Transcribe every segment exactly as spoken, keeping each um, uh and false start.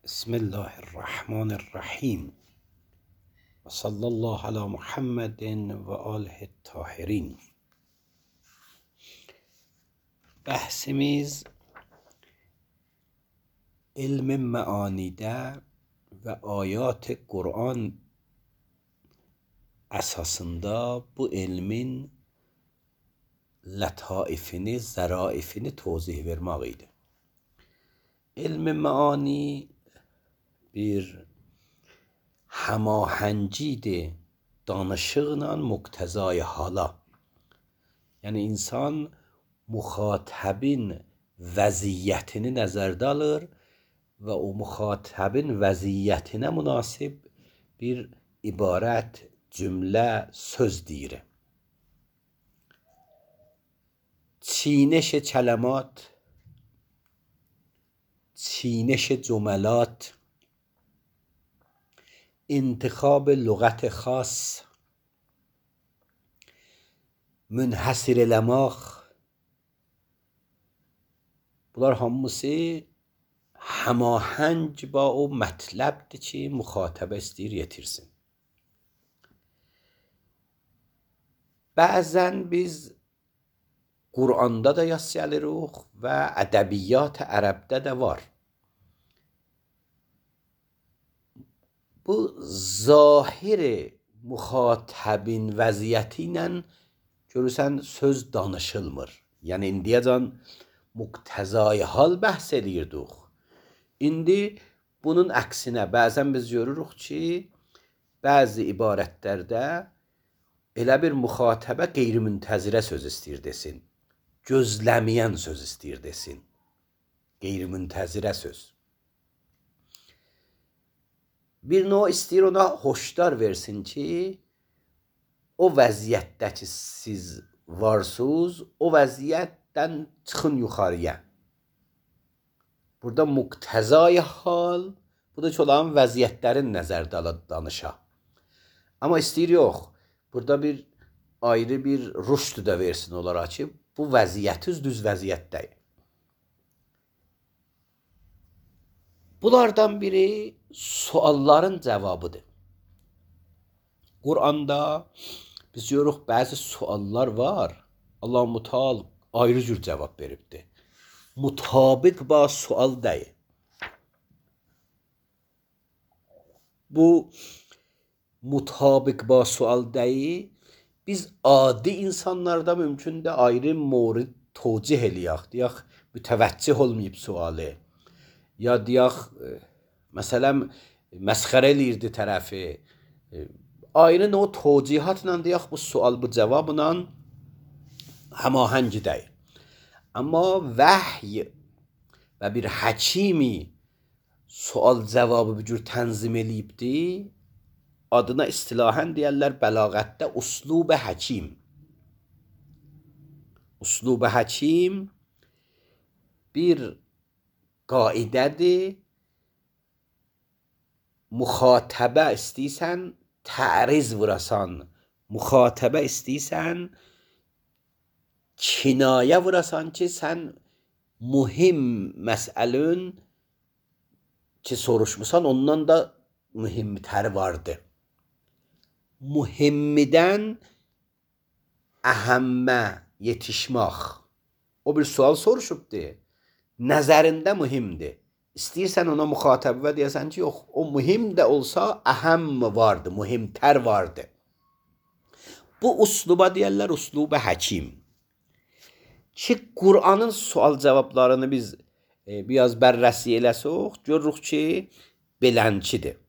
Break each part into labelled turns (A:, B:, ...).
A: بسم الله الرحمن الرحیم و صلی الله علی محمد و آله الطاهرین. بحثimiz ilm meanide ve ayat-ı Kur'an esasında bu ilmin letaifini, zaraifini tozih vermek idi. İlm meani bir hamahengidir danışıqla muqtezai hala. Yəni insan müxatabin vəziyyətini nəzərdə alır və o müxatabin vəziyyətinə münasib bir ibarət, cümlə, söz deyir. چینش کلمات، چینش جملات، انتخاب لغت خاص، منحصر eləmək, bunlar hamısı həmahəng با o mətləbdir ki, müxatabə istəyir yetirsin. Bəzən biz Qur'anda da yas gəlirik və ədəbiyyat ərəbdə də var. Bu zahir müxatabin vəziyyəti ilə görürsən söz danışılmır. Yəni indiyəcən muqtezai hal bəhs edirdik. İndi bunun əksinə bəzən biz görürük ki, bəzi ibarətlərdə elə bir müxatabə qeyri-müntəzirə söz istəyir desin. Gözləməyən söz istəyir desin. Qeyri-müntəzirə söz. Bir növ istəyir ona hoşdar versin ki, o vəziyyətdə ki siz varsınız, o vəziyyətdən çıxın yuxarıya. Burada muqtezai hal, bu da ki olan vəziyyətlərin nəzərdə danışa. Amma istəyir yox, burada bir ayrı bir rüşd da versin onlara ki, bu vəziyyətiz düz vəziyyətdəyir. Bunlardan biri sualların cavabıdır. Qur'anda biz görürük bəzi suallar var. Allah Müteal ayrı cür cavab veribdir. Mutabık ba sual deyil. Bu mutabık ba sual deyil. Biz adi insanlarda mümkün de ayrı mورد توجih eləyək. Deyək, mütəvəccih olmayıb sualı. Ya deyək, məsələn, məsxərə eləyirdi tərəfi. Ayrı o توجihatla deyək, bu sual, bu cavabla həmahəng deyil. Amma vəhy və bir həkimi sual cavabı bir cür tənzim eləyibdi. Adına istilahən deyərlər bəlağətdə uslub-i həkim. Uslub-i həkim bir qaidədir. Müxatabə istəyirsən, təriz vurasan. Müxatabə istəyirsən, kinayə vurasan ki, sən mühim məsəlün ki soruşmusan, ondan da mühimtər vardır. Mühimmidən əhəmmə yetişmək. O bir sual soruşubdur. Nəzərində mühimdir. İstəyirsən ona müxatabə deyəsən ki, yox, o mühim də olsa əhəmm vardır, mühimtər vardır. Bu usluba deyərlər uslub-i həkim. Ki Qur'anın sual cavablarını biz e, biraz bərrəsi eləsək, görürük ki, belənçidir.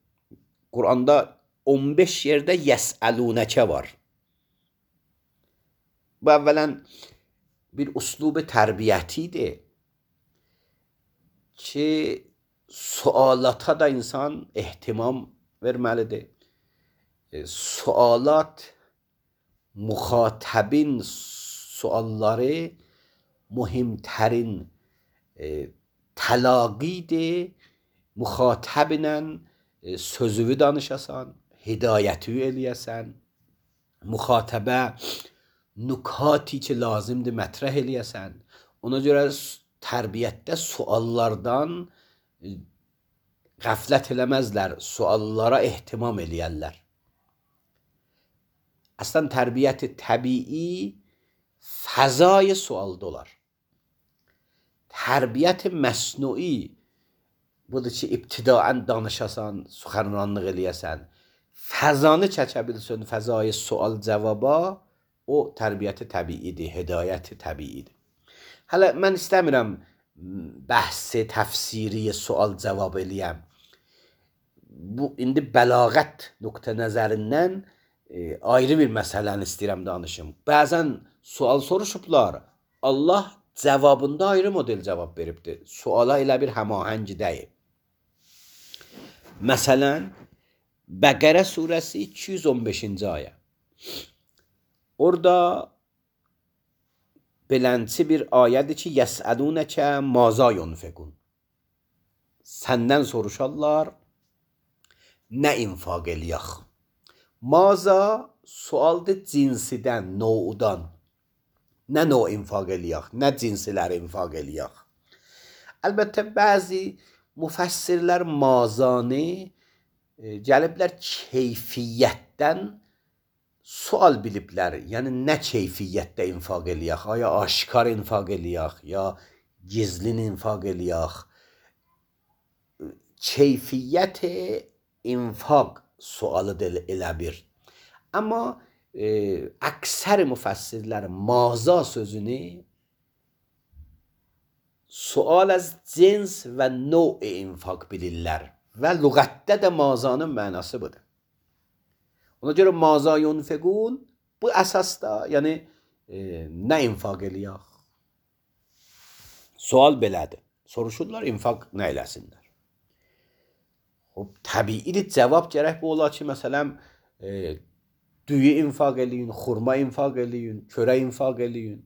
A: Qur'anda on beş yerdə yəsəlunəkə var. Bu əvvələn bir uslub-i tərbiyyətidir ki, sualata da insan ehtimam verməlidir. E, sualat müxatabin sualları mühimtərin e, təlaqidir. Müxatabinlə e, sözüvü danışasan, hidayətü eləyəsən, müxatabə nükati ki lazımdır mətrəh eləyəsən. Ona görə tərbiyyətdə suallardan Qəflət eləməzlər, suallara ehtimam eləyərlər. Əslən tərbiyyət təbii fəzai sualda olar. Tərbiyyət məsnui budur ki, ibtidaən danışasan, suxanranlıq eləyəsən, fəzanı çəkə bilsin, fəzai sual cavaba, o tərbiyyət təbiidir, hidayət təbiidir. Hələ mən istəmirəm bəhsi təfsiri sual cavab eləyəm. Bu indi bəlağət nöqtə nəzərindən e, ayrı bir məsələni istəyirəm danışım. Bəzən sual soruşublar, Allah cavabında ayrı model cavab veribdir. Suala elə bir həmahəng deyil. Məsələn, Bəqərə surəsi iki yüz on beşinci ayə. Orada belənçi bir ayədir ki, yəsəlunəkə maza yunfiqun. Səndən soruşarlar, nə infaq eləyək? Maza sualdır cinsidən, noudan. Nə nov infaq eləyək? Nə cinsilər infaq eləyək? Əlbəttə, bəzi müfəssirlər mazanı e, gəliblər keyfiyyətdən sual biliblər, yəni nə keyfiyyətdə infaq eləyək, aya aşkar infaq eləyək, ya gizlin infaq eləyək. Keyfiyyət infaq sualıdır elə bir. Amma e, əksər müfəssirlər maza sözünü sual az cins və növ infaq bilirlər və lüğətdə də mazanın mənası budur. Ona görə maza yunfiqun bu əsasda, yəni e, nə infaq eləyək? Sual belədir. Soruşurlar, infaq nə eləsinlər? Təbiidir, cavab gərək bu ola ki, məsələn, e, düyü infaq eləyin, xurma infaq eləyin, körə infaq eləyin.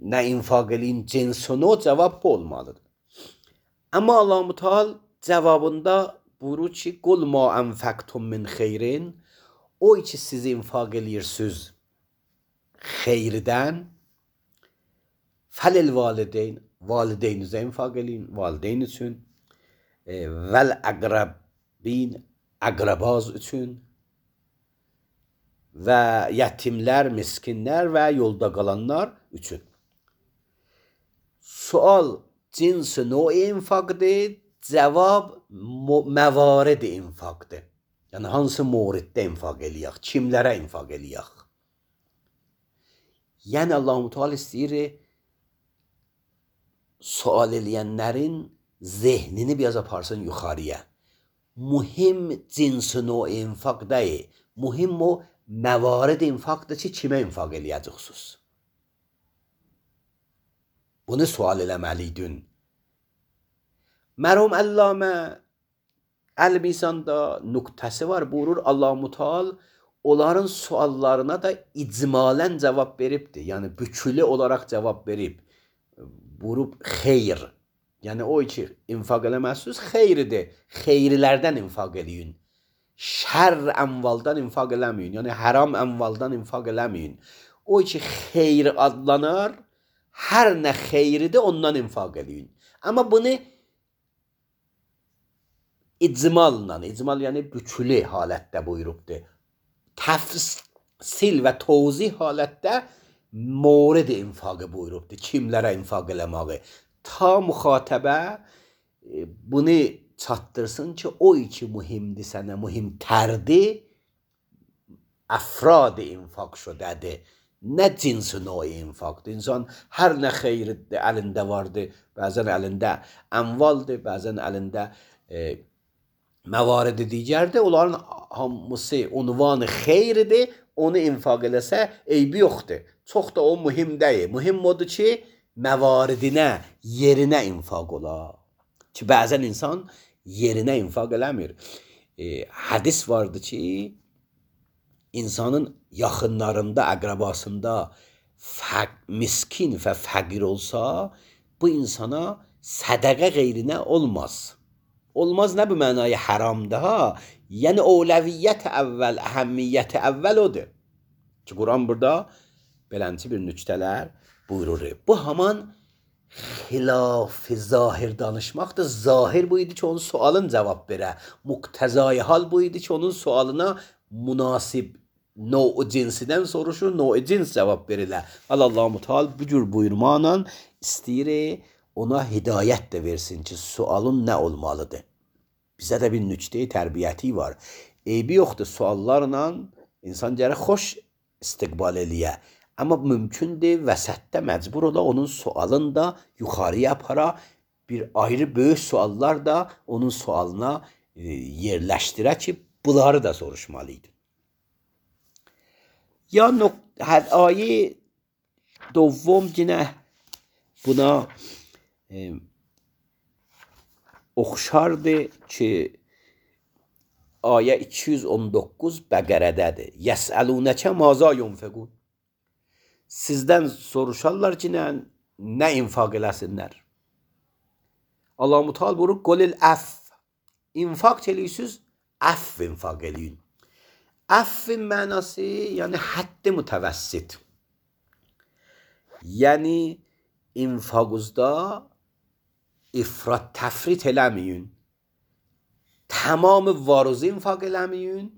A: Nə infaq eləyin, cinsunu cavab bu olmalıdır. Amma Allah-u Teala cavabında buyurur ki, qul ma anfaqtum min xeyrin, o ki siz infaq eləyirsiniz xeyirdən, fəlil valideyn, valideynizə infaq eləyin, valideyn üçün, e, vəl əqrabin, əqrabaz üçün və yetimlər, miskinlər və yolda qalanlar üçün. Sual cinsi növ infaqdır, cavab məvarid infaqdır. Yəni hansı moriddə infaq eləyək, kimlərə infaq eləyək? Yəni Allah-u Teala istəyir sual eləyənlərin zehnini biraz aparsın yuxarıya. Mühim cinsi növ infaq deyil, mühim o məvarid infaqdır ki, kimə infaq eləyəcəksiniz? Bunu sual eləməliydin. Mərhum Əllamə Əl-Misanda nöqtəsi var, buyurur Allah-u Teala onların suallarına da icmalən cavab veribdir. Yəni bükülü olaraq cavab verib. Buyurub xeyr. Yəni o ki infaq eləməzsiniz, xeyridir. Xeyrilərdən infaq eləyin. Şər əmvaldan infaq eləməyin. Yəni haram əmvaldan infaq eləməyin. O ki xeyr adlanar, hər nə xeyridir ondan infaq eləyin. Amma bunu icmalla, icmal yəni bükülü halətdə buyurubdur. Təfsil və tozih halətdə morid infaqı buyurubdur. Kimlərə infaq eləməyi. Ta müxatəbə bunu çatdırsın ki, o ki mühimdir sənə, mühimtərdir, əfrad infaq şudədir. Nə cinsi növ infaqdır. İnsan hər nə xeyridir əlində vardır. Bəzən əlində əmvaldır, bəzən əlində e, məvaridi digərdir. Onların hamısı unvanı xeyridir. Onu infaq eləsə eybi yoxdur. Çox da o mühim deyil. Mühim odur ki, məvaridinə, yerinə infaq ola. Ki, bəzən insan yerinə infaq eləmir. E, hədis vardı ki, insanın yaxınlarında, əqrabasında fəq, miskin və fəqir olsa, bu insana sədəqə qeyrinə olmaz. Olmaz nə bu mənaya haramdır ha? Yəni ovləviyyət əvvəl, əhəmmiyyət əvvəl odur. Ki, Quran burada belənçi bir nüktələr buyurur. Bu haman Xilaf zahir danışmaq da zahir bu idi ki, onun sualın cavab verə. Muqtezai hal bu idi ki, onun sualına münasib no cinsidən soruşur, no cins cavab verilə. Allah-u Teala bu cür buyurmaqla istəyir ona hidayət də versin ki, sualın nə olmalıdır. Bizə də bir nüqtə tərbiyyəti var. Eybi yoxdur, suallarla insan gərək xoş istiqbal eləyə. Amma mümkündür vəsətdə məcbur ola onun sualını da yuxarıya apara, bir ayrı böyük suallar da onun sualına e, yerləşdirə ki, bunları da soruşmalıydı. Ya hər ayə دوم yine buna e, oxşardır ki, ayə iki yüz on doqquz Bəqərədədir. Yəsəlunəkə maza yunfiqun. Sizdən soruşarlar ki, nə, nə infaq eləsinlər. Allah-u Teala buyurur, qolil əff. İnfaq eləyirsiniz, əff infaq eləyin. Əffin mənası, yəni həddi mütəvəssit. Yəni, infaqınızda ifrat təfrit eləməyin. Tamamı varuzu infaq eləməyin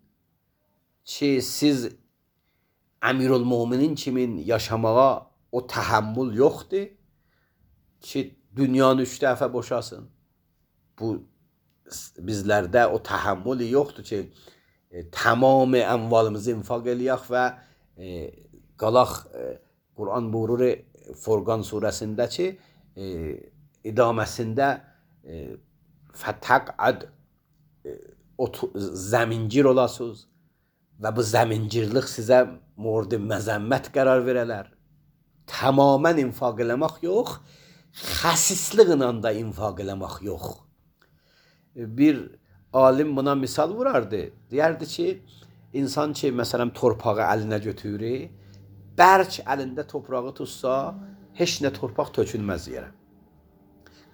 A: ki, siz Əmirül-Müminin kimin yaşamağa o təhəmmül yoxdur ki, dünyanı üç dəfə boşasın. Bu, bizlərdə o təhəmmül yoxdur ki, e, tamamı əmvalımızı infaq eləyək və e, qalaq, e, Quran buyurur Furqan surəsində ki, e, idaməsində e, fətəqəd e, zəmincir olasınız və bu zəmincirlik sizə mورد məzəmmət qərar verələr. Tamamən infaq eləmək yox, xəsisliklə da infaq eləmək yox. Bir alim buna misal vurardı. Deyərdi ki, insan ki, məsələn, torpağı əlinə götürür, bərk əlində torpağı tutsa, heç nə torpaq tökülməz yerə.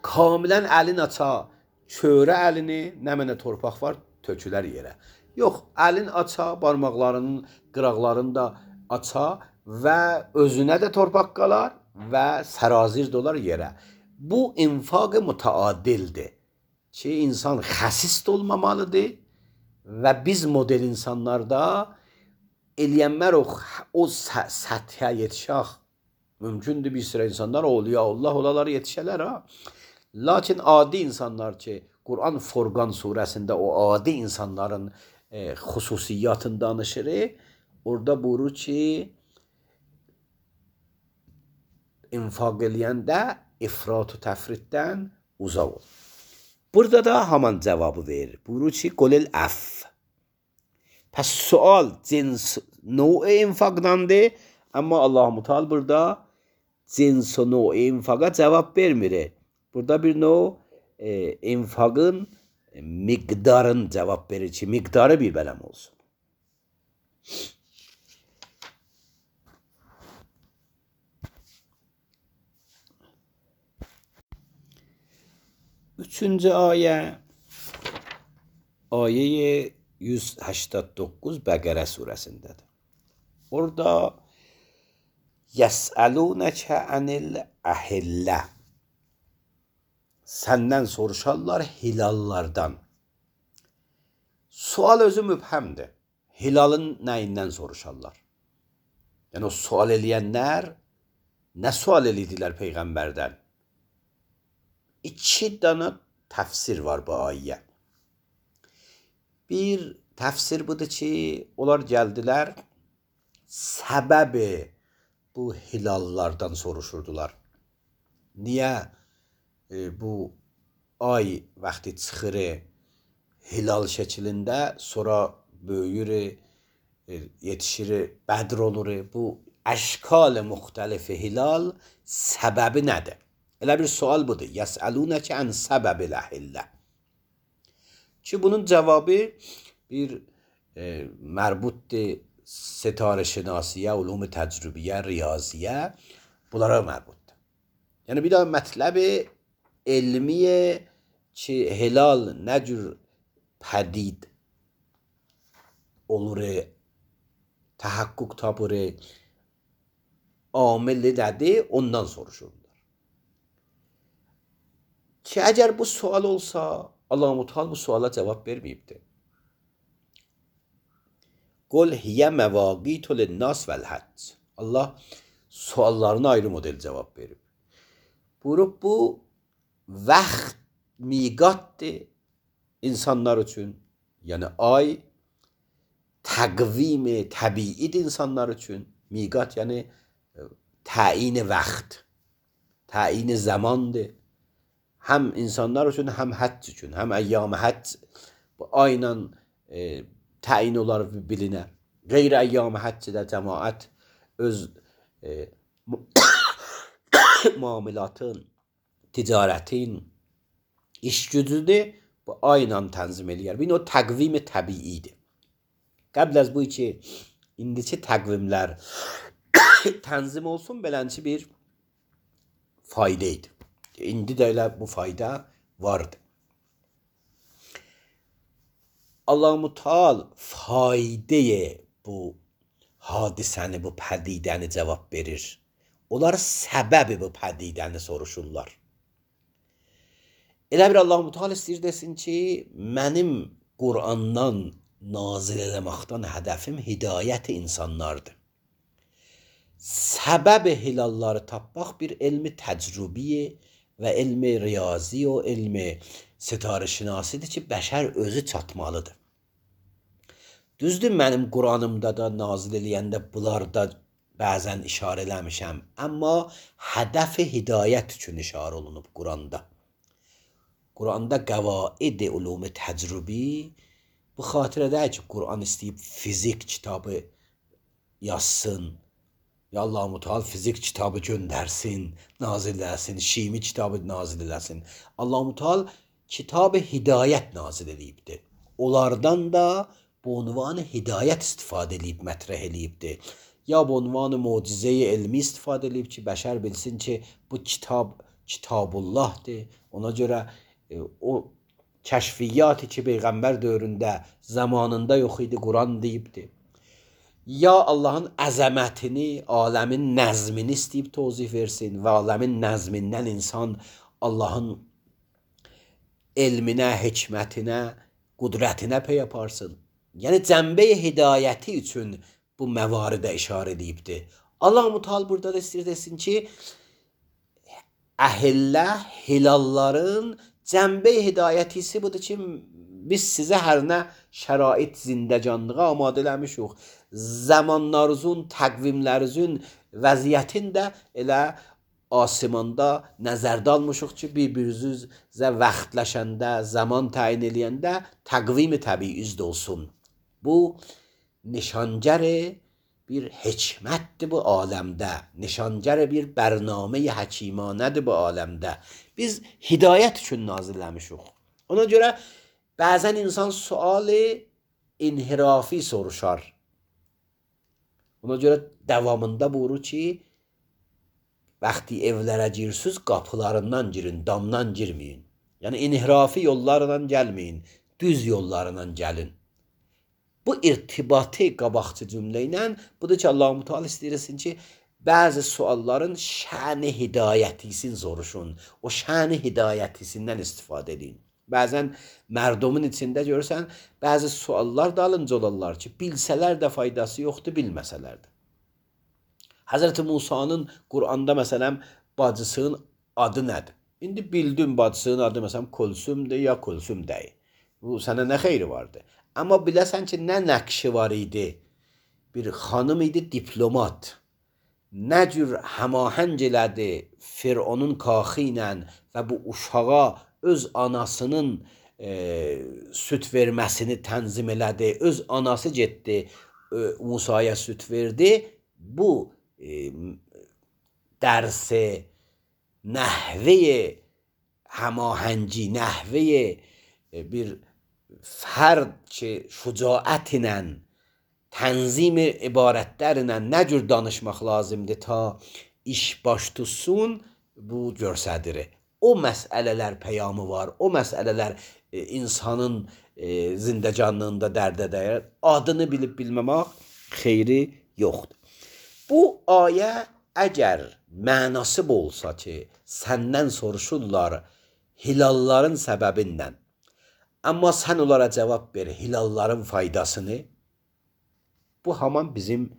A: Kamilən əlin aça, çörə əlini, nə mənə torpaq var, tökülər yerə. Yox, əlin aça, barmaqlarının qıraqlarını da aça və özünə də torpaq qalar və sərazir dolar yerə. Bu infaq mütəadildir ki, insan xəsis olmamalıdır və biz model insanlarda eləyənlər o, o səthə yetişək. Mümkündür bir sıra insanlar olya Allah olalar yetişələr ha. Lakin adi insanlar ki, Quran Furqan surəsində o adi insanların e, xüsusiyyatını danışır. Orada buyurur ki, infaq eləyəndə ifrat-ı təfritdən uzaq ol. Burada da haman cavabı verir. Buyurur ki, qolil əff. Pəs sual cins növ infaqdandır, amma Allah-u Teala burada cins o növ infaqa cavab vermir. Burada bir növ e, infaqın miqdarın cavab verir ki, miqdarı bir bələm olsun. Üçüncü ayə, ayə yüz səksən doqquz Bəqərə surəsindədir. Orada yəsəlunəkə ənil əhillə. Səndən soruşarlar hilallardan. Sual özü mübhəmdir. Hilalın nəyindən soruşarlar? Yəni o sual eləyənlər nə sual elədilər Peyğəmbərdən? İki dana təfsir var bu ayə. Bir təfsir budur ki, onlar gəldilər, səbəbi bu hilallardan soruşurdular. Niyə e, bu ay vaxtı çıxır hilal şəklində, sonra böyüyür, e, yetişir, bədr olur. Bu əşkal müxtəlifi hilal səbəbi nədir? Elə bir sual budur. Yəsəlunəkə ən səbəbil əhillə. Ki bunun cavabı bir e, mərbutdur sitarə şinasiyə, ulum-u təcrübiyə, riyaziyə, bunlara mərbutdur. Yəni bir də mətləbi elmiyə ki, hilal nə cür pədid olur, təhəqqüq tapır, amili nədir, ondan soruşurlar. ki əgər bu sual olsa, Allah-u Teala bu suala cavab verməyibdir. Qul hiyə məvaqitu lin-nas vəl-həcc. Allah suallarına ayrı model cavab verib. Buyurub bu vaxt miqatdır insanlar üçün. Yəni ay təqvim təbiidir insanlar üçün. Miqat yəni təyin vaxt, təyin zamandır. Həm insanlar üçün, həm həcc üçün, həm əyyam həcc bu ayla e, təyin olar bilinər. Qeyri əyyam həccdə cəmaət öz e, muamilatın, ticarətin, iş gücünü bu ayla tənzim eləyər. Bir o təqvim təbiidir. Qəbl az bu ki, indiki təqvimlər tənzim olsun, belənçi bir fayda idi. İndi də elə bu fayda vardı. Allah-u Teala faydaya bu hadisəni, bu pədidəni cavab verir. Onlar səbəbi bu pədidəni soruşurlar. Elə bir Allah-u Teala istəyir desin ki, mənim Qur'andan nazil eləməkdən hədəfim hidayət insanlardır. Səbəbi hilalları tapmaq bir elmi təcrübiyə və elmi riyazi o elmi sitarəşinasidir ki, bəşər özü çatmalıdır. Düzdür, mənim Qur'anımda da nazil eləyəndə bunlarda bəzən işarə eləmişəm, amma hədəfi hidayət üçün işarə olunub Qur'anda. Qur'anda qəvaid-i ulum-i təcrübi bu xatirədə ki, Qur'an istəyib fizik kitabı yazsın, ya Allah-u Teala fizik kitabı göndərsin, nazil eləsin, şimi kitabı nazil eləsin. Allah-u Teala kitab-ı hidayət nazil eləyibdir. Onlardan da bu unvanı hidayət istifadə eləyib, mətrəh eləyibdir. Ya bu unvanı mucize-i elmi istifadə eləyib ki, bəşər bilsin ki, bu kitab Kitabullahdır. Ona görə e, o kəşfiyyatı ki, Peyğəmbər dövründə, zamanında yox idi, Quran deyibdir. Ya Allahın əzəmətini, aləmin nəzmini istəyib tozih versin və aləmin nəzmindən insan Allahın elminə, hikmətinə, qudrətinə pey aparsın. Yəni cəmbə-i hidayəti üçün bu məvaridə işarə edibdir. Allah-u Teala burada da istəyir desin ki, əhillə, hilalların cəmbə-i hidayətisi budur ki, biz sizə hər nə şərait zindəcanlığa amadə eləmişik. Zamanlarınızın, təqvimlərinizin vəziyyətini də elə asimanda nəzərdə almışıq ki, bir-birinizə vaxtləşəndə, zaman təyin eləyəndə təqvim-i təbiiz olsun. Bu nişangər bir hikmətdir bu aləmdə. Nişangər bir bərnamə-i həkimanədir bu aləmdə. Biz hidayət üçün nazilləmişik. Ona görə bəzən insan sualı inhirafi soruşar. Ona görə davamında buyurur ki, vaxtı evlərə girsiniz, qapılarından girin, damdan girməyin. Yəni inhirafi yollarla gəlməyin, düz yollarla gəlin. Bu irtibatı qabaqçı cümlə ilə budur ki, Allah-u Teala istəyirsin ki, bəzi sualların şəni hidayətisin soruşun. O şəni hidayətisindən istifadə edin. Bəzən mərdumun içində görürsən, bəzi suallar da alınca olarlar ki, bilsələr də faydası yoxdur, bilməsələr də. Həzrəti Musanın Qur'anda məsələn, bacısının adı nədir? İndi bildin bacısının adı məsələn, Kulsumdur ya Kulsum deyil. Bu sənə nə xeyri vardı? Amma biləsən ki, nə nəqşi var idi? Bir xanım idi, diplomat. Nə cür həmahəng elədi Fironun kaxı ilə və bu uşağa öz anasının e, süt verməsini tənzim elədi. Öz anası getdi, e, Musaya süt verdi. Bu e, dərsi, nəhvəyə həmahəngi, nəhvəyə e, bir fərd ki, şücaət ilə, tənzim ibarətlərlə nə cür danışmaq lazımdır ta iş baş tutsun, bu görsədir. O məsələlər peyamı var, o məsələlər e, insanın e, zindəcanlığında dərdə dəyər. Adını bilib bilməmək xeyri yoxdur. Bu ayə əgər mənası olsa ki, səndən soruşurlar, hilalların səbəbindən. Amma sən onlara cavab ver, hilalların faydasını. Bu haman bizim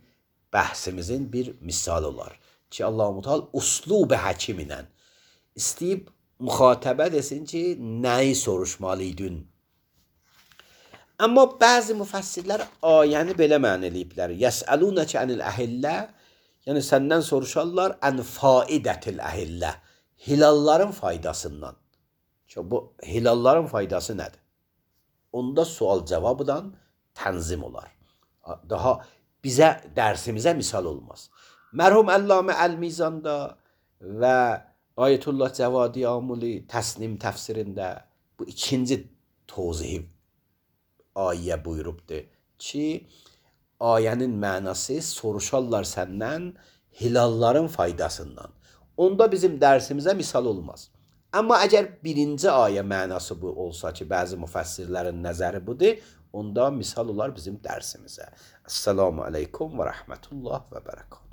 A: bəhsimizin bir misal olar. Ki Allah-u Teala uslub-i həkim ilə istəyib müxatəbə desin ki, nəyi soruşmalıydın? Amma bəzi müfəssirlər ayəni belə məna eləyiblər. Yəsəlunəkə anil əhillə, yəni səndən soruşarlar ən faidətil əhillə, hilalların faydasından. Ki bu hilalların faydası nədir? Onda sual cavabından tənzim olar. Daha bizə, dərsimizə misal olmaz. Mərhum Əllamə Əl-Mizanda və Ayətullah Cəvadi Amuli Təsnim təfsirində bu ikinci tozihi ayə buyurubdur ki, ayənin mənası soruşarlar səndən hilalların faydasından. Onda bizim dərsimizə misal olmaz. Amma əgər birinci ayə mənası bu olsa ki, bəzi müfəssirlərin nəzəri budur, onda misal olar bizim dərsimizə. Esselamu aleykum və rəhmətullah və bərəkət.